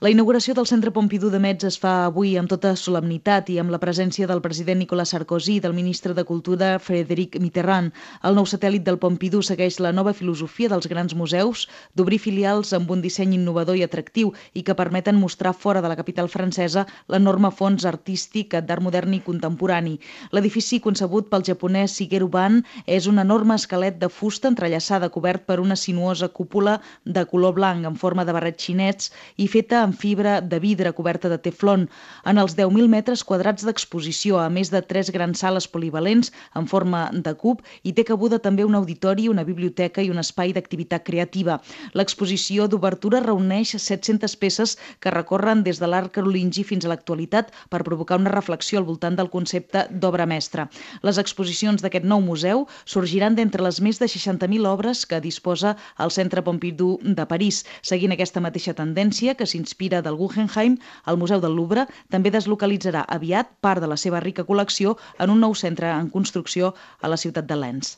La inauguració del Centre Pompidou de Metz es fa avui amb tota solemnitat i amb la presència del president Nicolas Sarkozy i del ministre de Cultura Frédéric Mitterrand. El nou satèl·lit del Pompidou segueix la nova filosofia dels grans museus d'obrir filials amb un disseny innovador i atractiu i que permeten mostrar fora de la capital francesa l'enorme fons artístic d'art modern i contemporani. L'edifici concebut pel japonès Shigeru Ban és un enorme esquelet de fusta entrellaçada cobert per una sinuosa cúpula de color blanc en forma de barret xinets i feta amb fibra de vidre coberta de teflon. En els 10.000 metres quadrats d'exposició, a més de 3 grans sales polivalents en forma de cub, hi té cabuda també un auditori, una biblioteca i un espai d'activitat creativa. L'exposició d'obertura reuneix 700 peces que recorren des de l'art carolingi fins a l'actualitat per provocar una reflexió al voltant del concepte d'obra mestra. Les exposicions d'aquest nou museu sorgiran d'entre les més de 60.000 obres que disposa el Centre Pompidou de París. Seguint aquesta mateixa tendència, que s'inspira del Guggenheim, el Museu del Louvre també deslocalitzarà aviat part de la seva rica col·lecció en un nou centre en construcció a la ciutat de Lens.